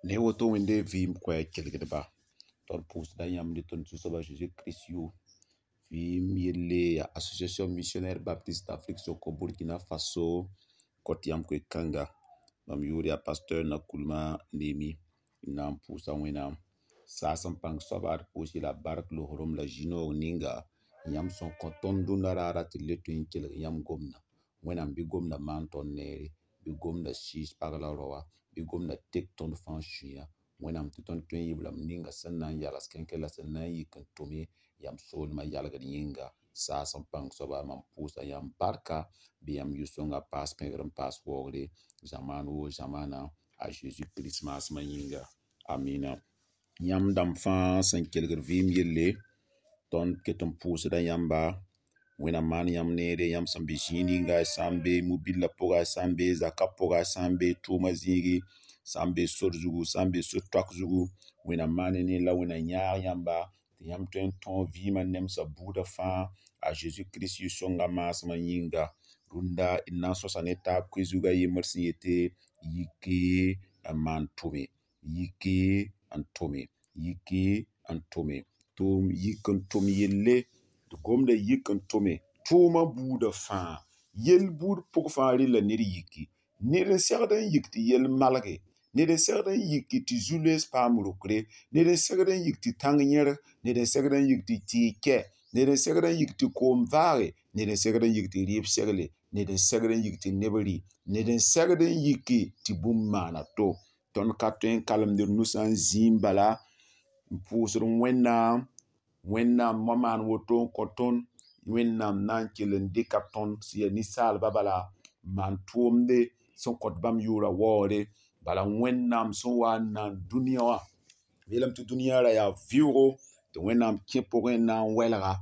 Ne woto Wẽnde vɩɩm koɛɛg kelgdba, tõnd pʋʋsda yãmb ne tõnd Zu-soaba Zeezi Kirist yʋʋr. Vɩɩm yelle yaa Association Missionnaire Baptiste d'Afrique soko Burkina Faso kõt yãmb koe-kãnga. Mam yʋʋr yaa Pasteur Nakoulma Nemi n na n pʋʋsa Wẽnnaam. Saas n pãng soaba d pʋʋs la bark loosrem la zĩ-noog ninga yãmb sẽn kõ tõnd dũnna raara tɩ d le tõe n kelg yãmb gomdã. Wẽnnaam bɩ gomdã maan tõnd neere, bɩ gomdã sɩɩs pag la raoã, bɩ gomdã tek tõnd fãa sũyã. Wẽnnaam tɩ tõnd tõe n yɩ b rãmb ninga sẽn na n yals kẽnkẽ la sẽn na n yik n tʋme yãmb soolmã yalgd yĩnga. Saas n pãng soaba mam pʋʋsa yãmb barka bɩ yãmb yʋ-sõnga paas pẽgr n paas waoogre zamaan woo zamaana a Zeezi Kirist maasmã yĩnga. Amina. Yãmb dãmb fãa sẽn kelgd vɩɩm yelle, tõnd ket n pʋʋsda yãmba. Wẽnnaam maan yãmb neere, yãmb sẽn be zĩig ninga, y sã n be mobillã pʋga, y sã n be zakã pʋga, y sã n be tʋʋma zĩigi, sã n be sor zugu, sã n be so-toak zugu, Wẽnnaam maan y neer la Wẽnnaam yãag yãmba tɩ yãmb tõe n tõog vɩɩmã nemsã buudã fãa a Zeezi Kirist yʋ-sõngã maasmã yĩnga. Rũndã d na n sõsa ne taab koe zug a yembr sẽn yete yiki n maan tʋme, yiki n tʋme, yiki n tʋme. Tʋʋm yik n tʋm yelle, tɩ gomda yik n tʋme tʋʋmã buudã fãa. Yell buud pʋg fãa rella ned yiki. Ned n segd n yik tɩ yell malge, ned n segd n yiki tɩ zu-loees paam rokre, ned n segd n yik tɩ tãng yẽrg, ned n segd n yik tɩ tɩɩg kɛ, ned n segd n yik tɩ koom vaage, ned n segd n yik tɩ rɩɩb segle, ned n segd n yik tɩ neb rɩ, ned n segd n yiki tɩ bũmb maana to. Tõnd ka tõe n kalemd d nusã n zĩim bala n pʋʋsd Wẽnnaam. Wẽnnaam wã maan woto n kõ tõnd. Wẽnnaam na n kell n dɩka tõnd sẽn yaa ninsaalba bala n maan tʋʋmde sẽn kõt bãmb yʋʋra waoore. Bala Wẽnnaam sẽn wa n naan dũniyã wã, b yeelame tɩ dũniyã ra yaa vɩʋʋgo tɩ Wẽnnaam kẽ pʋgẽ n na n wɛlga.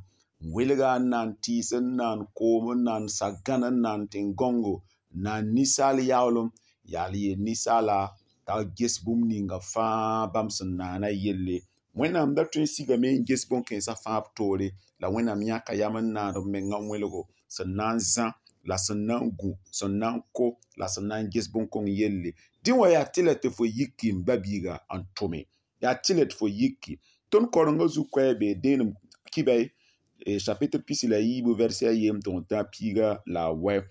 N welga n naan tɩɩs, n naan koom, n naan sagãn, n naan tẽn-gãongo, n naan ninsaal yaoolem, yaa la yeel ninsaala t'a ges bũmb ninga fãa bãmb sẽn naana yelle. Wẽnnaam da tõe n sigame n ges bõn-kãensã fãa b toore, la Wẽnnaam yãka yam n naand b mengã wẽlgo sẽn na n zã la sẽn na n gũ, sẽn na n ko la sẽn na n ges bõn-kõng yelle. Dẽ wã yaa tɩlɛ tɩ fo yiki m ba-biiga n tʋme. Yaa tɩlɛ tɩ fo yiki. Tõnd kaorengã zu-koɛɛg bee dẽenem kibɛ chapitre pisi la yiibu verset a yem tɩ tã piiga la a wɛ.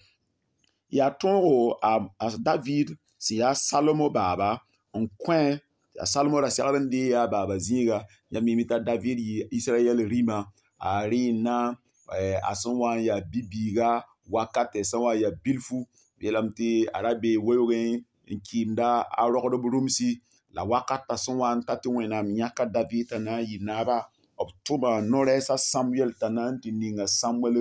Yaa tõogo a David sẽn yaa Salomo baaba n kõ a Salomo ra segd n dee yaa baaba zĩiga. Yãmb mime t'a David yɩ Israɛl rĩma, a rẽenna a sẽn wa n yaa bi-biiga wakatɛ sẽn wa n yaa bilfu, b yeelame tɩ a ra bee weoogẽ n kɩɩmda a rogdb rũmsi. La wakatã sẽn wa n ta tɩ Wẽnnaam yãka David t'a na n yɩ naaba, b tʋma no-rɛɛs a Samuɛl t'a na n tɩ ninga Samuɛl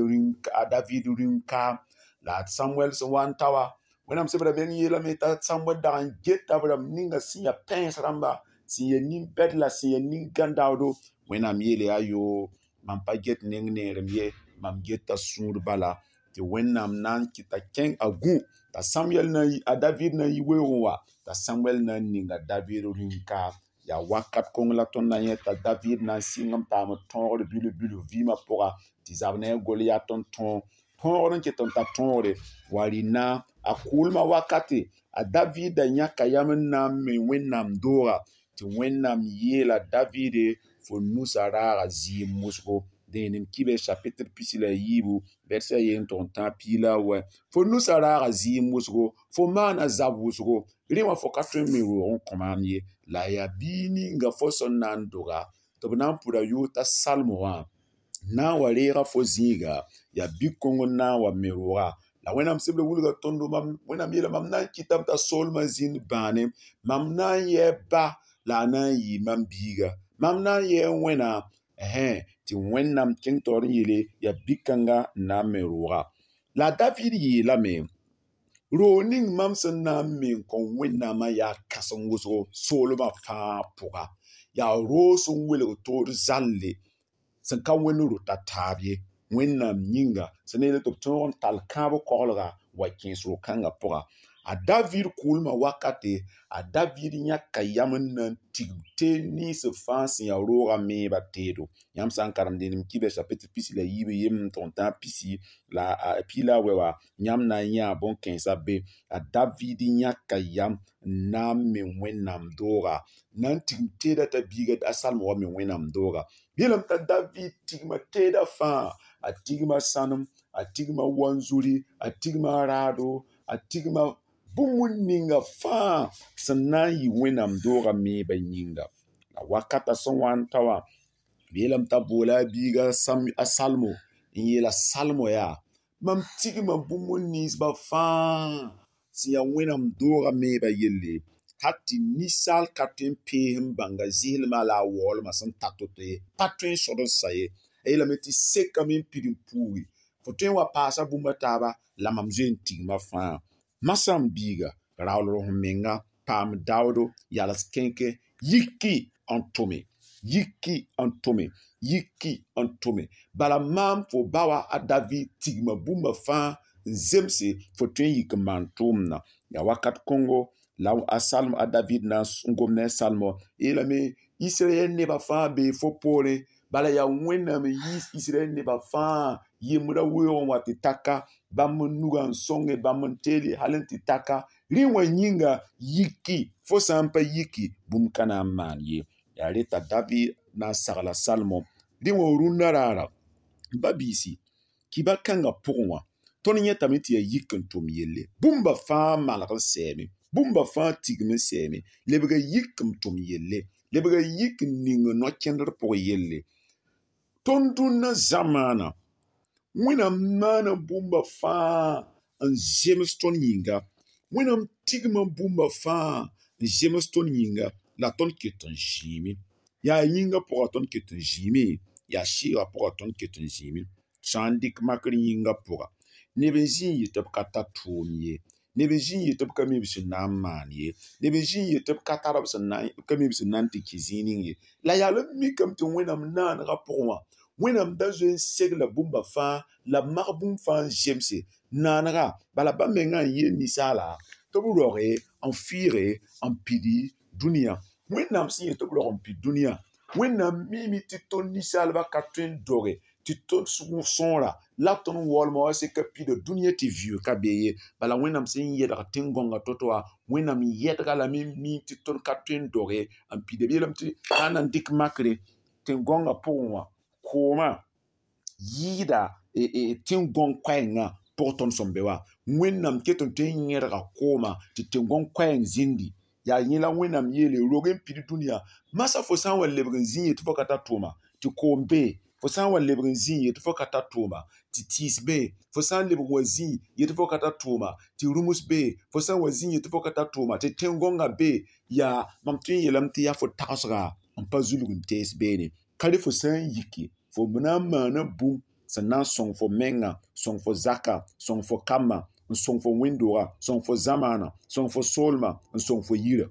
a David rĩm-kaam. La a Samuɛl sẽn wa n ta wa, Wẽnnaam sebra meng yeelame t'a Samuɛl dag n geta b rãmb ninga sẽn yaa pãens rãmba, sẽn yaa nin-bɛd la sẽn yaa nin-gãn-daoodo. Wẽnnaam yeele yaa yoo, mam pa get neng neerem ye, mam geta sũur bala tɩ Wẽnnaam na n kɩta kẽng a gũ t'a Samuɛl na a David na n yi weoogẽ wa, t'a Samuɛl na n ninga David rĩm-kaam. Yaa wakat kõng la tõnd na yẽ t'a David na n sɩng n paam tõogr bilf-bilf vɩɩmã pʋga tɩ zab ne a Goliat n tõog. Tõogr n ket n ta tõogre wa rɩ-na a kʋʋlmã wakate a David da yãka yam n na n me Wẽnnaam dooga tɩ Wẽnnaam yeela Davide fo nusã raaga zɩɩm wʋsgo. Dẽenem kibɛ chapitre pisi la yiibu verset a yen tʋg n tãag piig la a wɛ. Fo nusã raaga zɩɩm wʋsgo, fo maana zab wʋsgo, rẽ wã fo ka tõe n me roog n kõ maam ye. La yaa biig ninga fo sẽn na n doga tɩ b na n pʋda yʋʋr t'a Salmo wã na n wa reega fo zĩiga, yaa bi-kõng n na n wa me rooga. La Wẽnnaam sebr wilga tõndo mam Wẽnnaam yeela mam na n kɩtame t'a soolmã zĩnd bãane, mam na n yɛɛ ba la a na n yɩɩ mam biiga. Mam na n yɛɛ Wẽnnaam tɩ Wẽnnaam kẽng taoor n yeele yaa bi-kãnga n na n me rooga. La a David yeelame, roog ning mam sẽn na n me n kõ Wẽnnaamã yaa kãsem wʋsgo soolmã fãa pʋga. Yaa roog sẽn welg toor zalle sẽn ka wẽnd rota taab ye. Wẽnnaam yĩnga sẽn na yeel tɩ b tõog n tall kãab koglga wa kẽes ro-kãngã pʋga. A David kʋʋlmã wakate, a David yãka yam n na n tigim teed nins fãa sẽn yaa roogã meebã teedo. Yãmb sã n karem dẽenem kibɛ chapitre 14 n tʋg n tãag pisi la a pi la a wɛ wã, yãmb na n yãa bõn-kãensã be. A David yãka yam n na n me Wẽnnaam dooga, na n tigim teedã t'a biiga a Salmo wa me Wẽnnaam dooga. Yeelame t'a David tigma teedã fãa, a tigma sãnem, a tigma wanzuri, a tigma raado, a tigma bũmb ninga fãa sẽn na n yɩ Wẽnnaam doogã meebã yĩnga. La wakatã sẽn wa n ta wã, b yeelame t'a boola a biiga a Salmo n yeela Salmo yaa, mam tigma bũmb ninsbã fãa sẽn yaa Wẽnnaam doogã meebã yelle, hal tɩ ninsaal ka tõe n pees n bãnga zɩslmã la a waoolmã sẽn ta to-to ye, pa tõe n sod n sa ye. A yeelame tɩ sekame n pid n puugi, fo tõe n wa paasa bũmb a taaba la mam zoe n tigma fãa. Masã m biiga, raoolg f menga, paam daoodo, yals kẽnkẽ, yiki n tʋme, yiki n tʋme, yiki n tʋme. Bala maam fo ba wã a David tigma bũmba fãa n zemse fo tõe n yik n maan tʋʋmdã. Yaa wakat kõngo la a Salmo, a David na n gom ne a Salmo, yeelame Israɛl nebã fãa bee fo poorẽ, bala yaa Wẽnnaam n yiis Israɛl nebã fãa yembrã weoog n wa tɩ taka bãmb n nugã n sõnge bãmb n teele hal n tɩ taka rẽ wã yĩnga yiki fo sã n pa yiki bũmb ka na n maan ye. Yaa reta David na n sagla Salmo rẽ wã rũndã raara. Ba-biisi, kiba kãngã pʋgẽ wã, tõnd yẽtame tɩ yaa yik n tʋm yelle. Bũmba fãa malg n sɛɛme, bũmba fãa tigm n sɛɛme, lebga yik n tʋm yelle, lebga yik n ning no-kẽndr pʋg yelle. Tõnd dũnna zamaana, Wẽnnaam maana bũmba fãa n zems tõnd yĩnga. Wẽnnaam tigma bũmba fãa n zems tõnd yĩnga la tõnd ket n zĩime. Yaa yĩngã pʋga tõnd ket n zĩime, yaa sɩɩgã pʋga tõnd ket n zĩime. Sã n dɩk makr yĩngã pʋga, neb n zĩ n yet tɩ b ka tar tʋʋm ye, neb n zĩ n yet tɩ b ka mi b sẽn na n maan ye, neb n zĩ n yet tɩ b ka tar b sẽn na n ka mi b sẽn na n tɩ kẽ zĩig ning ye. La yaa la b mikame tɩ Wẽnnaam naanegã pʋgẽ wã, Wẽnnaam da zoe n segla bũmba fãa la b mag bũmb fãa n zemse naanega. Bala bãmb mengã n yeel ninsaala tɩ b roge n fɩɩge n pidi dũniyã. Wẽnnaam sẽn yet tɩ b rog n pid dũniyã, Wẽnnaam miime tɩ tõnd ninsaalbã ka tõe n doge tɩ tõnd sõora la tõnd waoolmã wa seka pida dũniyã tɩ vɩʋʋg ka be ye. Bala Wẽnnaam sẽn yɛdg tẽn-gõngã to-to wã, Wẽnnaam yɛdga lame n mi tɩ tõnd ka tõe n doge n pida. B yeelame tɩ sã n na n dɩk makre tẽn-gõngã pʋgẽ wã, koomã yɩɩda tẽn-gõng koɛɛngã pʋg tõnd sẽn be wã. Wẽnnaam ket n tõe n yẽdga koomã tɩ tẽn-gõng koɛɛng zĩndi. Yaa yẽ la Wẽnnaam yeele rog n pid dũniyã. Masã fo sã n wa lebg n zĩ yetɩ fo ka tar tʋʋma, tɩ koom bee, fo sã n wa lebg n zĩ yetɩ fo ka tar tʋʋma, tɩ tɩɩs bee, fo sã n lebg n wa zĩ yetɩ fo ka tar tʋʋma, tɩ rũms bee, fo sã n wa zĩ yetɩ fo ka tar tʋʋma, tɩ tẽn-gõngã bee, yaa mam tõe n yeelame tɩ yaa fo tagsga n pa zulg n tees beene. Ka rẽ fo sã n yiki, fo na n maana bũmb sẽn na n sõng fo menga, sõng fo zaka, sõng fo kambã, n sõng fo wẽnd-doogã, sõng fo zamaana, sõng fo soolmã, n sõng fo yirã.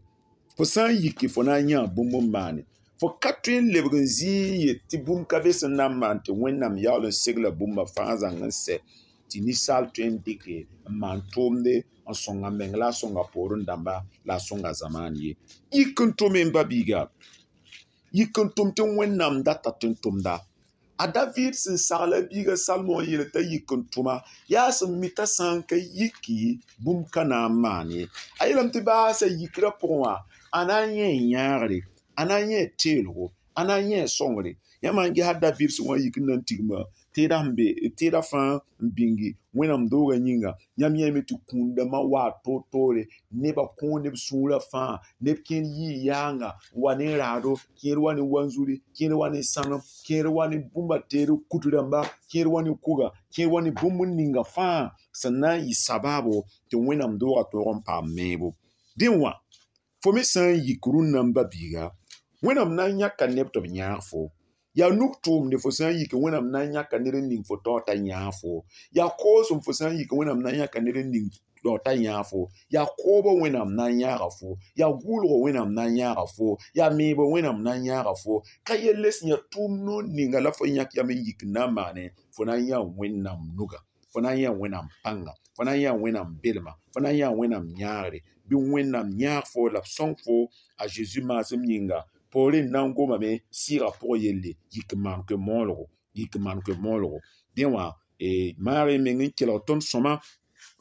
Fo sã n yiki, fo na n yãa bũmb n maane. Fo ka tõe n lebg n zĩig n yet tɩ bũmb ka be sẽn na n maan tɩ Wẽnnaam yaool n segla bũmba fãa zãng n sɛ tɩ ninsaal tõe n dɩke n maan tʋʋmde n sõng a meng la a sõnga poorẽ dãmba la a sõnga zamaan ye. Yik n tʋme n ba-biiga, yik n tʋm tɩ Wẽnnaam data tɩ n tʋmda. A David sẽn sagla biiga Salmo n yeel t'a yik n tʋma, yaa sẽn mi t'a sã n ka yiki bũmb ka na n maan ye. A yeelame tɩ baasa yikrã pʋgẽ wã, a na n yẽ yãagre, a na n yẽ teelgo, a na n yẽ sõngre. Yãmb n gesa David sẽn wa n yik n na n tigma tẽedã sẽn be tẽedã fãa n bĩngi Wẽnnaam doogã yĩnga, yãmb yẽeme tɩ kũun-dãmbã waa toor-toore, nebã kõo neb sũurã fãa, neb kẽer yii yaanga n wa ne raado, kẽer wa ne wanzuri, kẽer wa ne sãnem, kẽer wa ne bũmba teer kut rãmba, kẽer wa ne kuga, kẽer wa ne bũmb ninga fãa sẽn na n yɩ sabaabo tɩ Wẽnnaam doogã tõog n paam meebo. Dẽ wã, fo me sã n yik rũnnã n ba-biiga, Wẽnnaam na n yãka neb tɩ b yãag fo. Yaa nug tʋʋmde fo sã n yik Wẽnnaam na n yãka ned n ning fo taoor t'a yãag fo. Yaa koosem fo sã n yik Wẽnnaam na n yãka ned n ning taoor t'a yãag fo. Yaa koobã Wẽnnaam na n yãaga fo. Yaa gʋʋlgã Wẽnnaam na n yãaga fo. Yaa meebã Wẽnnaam na n yãaga fo. Ka yelle sẽn yaa tʋʋm noor ninga la fo yãk yam n yik n na n maane, fo na n yãa Wẽnnaam nuga. Fo Fo na n yã Wẽnnaam pãnga, fo na n yã Wẽnnaam belma, fo na n yã Wẽnnaam yãagre. Bɩ Wẽnnaam yãag fo la b sõng fo a Zeezi maasem yĩnga. Poorẽ n na n gomame sɩɩgã pʋgã yelle, yik n maan koe-moolgo, yik n maan koe-moolgo. Dẽ wã maag y meng n kelg tõnd sõma.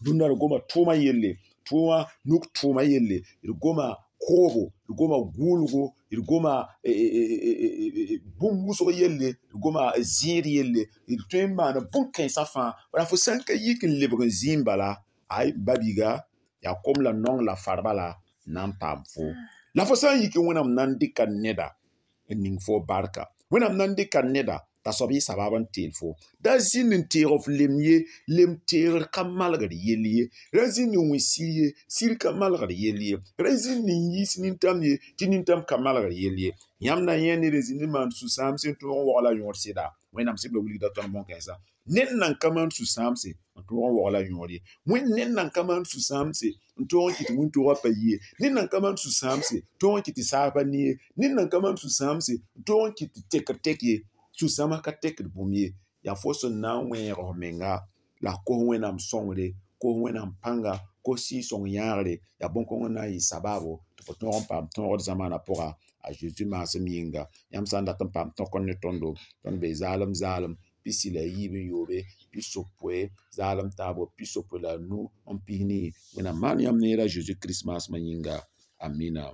Rũndã d goma tʋʋmã yelle, tʋʋmã nuk tʋʋmã yelle, d goma koobo, d goma gʋʋlgo, d goma bũmb wʋsg yelle, d goma zẽed yelle, d tõe n maana bũn-kãensã fãa. Bala fo sã n ka yik n lebg n zĩim bala, ay ba-biiga, yaa kom la naong la far bala n na n paam fo. La fo sã n yik Wẽnnaam na n dɩka neda n ning fo barka. Wẽnnaam na n dɩka neda t'a soab yɩ sabab n teel fo. Da zĩnd n teeg f lem ye, lem teegr ka malgd yell ye. Ra zĩnd n wẽ sir ye, sir ka malgd yell ye. Ra zĩnd n yiis nintam ye, tɩ nintam ka malgd yell ye. Yãmb na yẽ ned n zĩnd n maan sũ-sãamse n tõog n waoog la yõod sɩda. Wẽnnaam sɩbra wilgda tõnd bõn-kãensã. Ned nan ka maan sũ-sãamse n tõog n waoog la yõod ye. Wẽnd ned nan ka maan sũ-sãamse n tõog n kɩt wĩntoogã pa yi ye. Ned nan ka maan sũ-sãamse tõog n kɩt tɩ saag pa ni ye. Ned nan ka maan sũ-sãamse n tõog n kɩt tɩ tekr tek ye. Sũ-sãamã ka tekd bũmb ye. Yaa fo sẽn na n wẽeg f menga la f kos Wẽnnaam sõngre, kos Wẽnnaam pãnga, kos Sɩɩg-sõng yãagre, yaa bõn-kãng n na n yɩ sabaabo tɩ fo tõog n paam tõogd zamaanã pʋga a Zeezi maasem yĩnga. Yãmb sã n dat n paam tõkr ne tõndo, tõnd bee zaalem zaalem 63 70 zaalem taabo 75. Wẽnnaam maan yãmb neer a Zeezi Kirist maasmã yĩnga. Amina.